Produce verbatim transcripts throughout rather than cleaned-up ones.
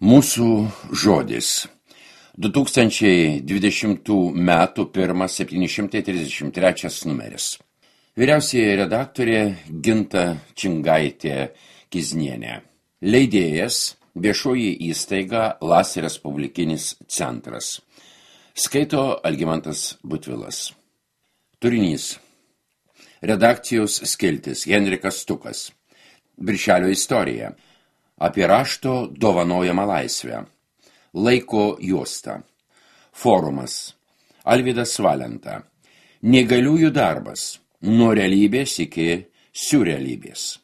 Mūsų žodis. du tūkstančiai dvidešimtų metų pirmas septyni šimtai trisdešimt trečias numeris. Vyriausioji redaktorė Ginta Čingaitė Kiznienė. Leidėjas viešoji įstaiga Las Respublikinis centras. Skaito Algimantas Butvilas. Turinys. Redakcijos skiltis Henrikas Stukas. Birželio istorija. Apie rašto dovanojamą laisvę. Laiko juosta. Forumas. Alvydas Valenta. Neįgaliųjų darbas. Nuo realybės iki siurrealybės.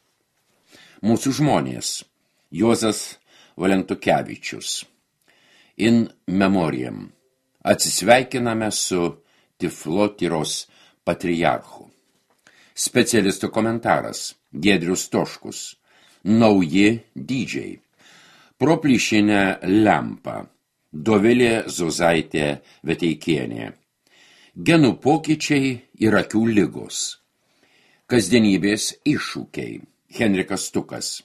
Mūsų žmonės. Juozas Valentukevičius. In memoriam. Atsisveikiname su Tiflotyros patriarchu. Specialistų komentaras. Giedrius Toškus. Nauji dydžiai. Pro plyšinę lempą. Dovilė Zuzaitė Veteikienė. Genų pokyčiai ir akių ligos. Kasdienybės iššūkiai. Henrikas Stukas.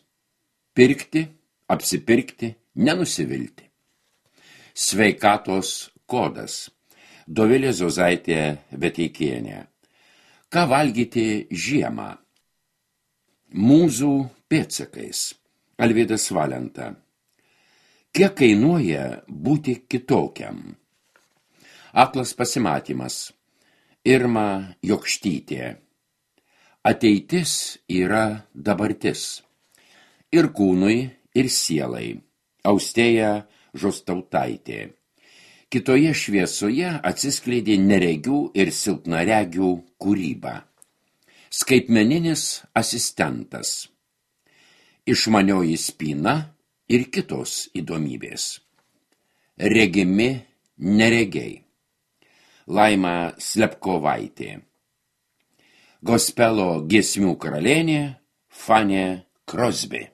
Pirkti, apsipirkti, nenusivilti. Sveikatos kodas. Dovilė Zuzaitė Veteikienė. Ką valgyti žiemą? Mūzų pėdsakais. Alvydas Valenta. Kiek kainuoja būti kitokiam? Aklas pasimatymas. Irma Jokštytė. Ateitis yra dabartis. Ir kūnui, ir sielai. Austėja Žostautaitė. Kitoje šviesoje atsiskleidė neregių ir silpnaregių kūryba. Skaitmeninis asistentas. Išmanioji spyna ir kitos įdomybės. Regimi neregiai. Laima Slepkovaitė. Gospelo giesmių karalienė Fanė Crosby.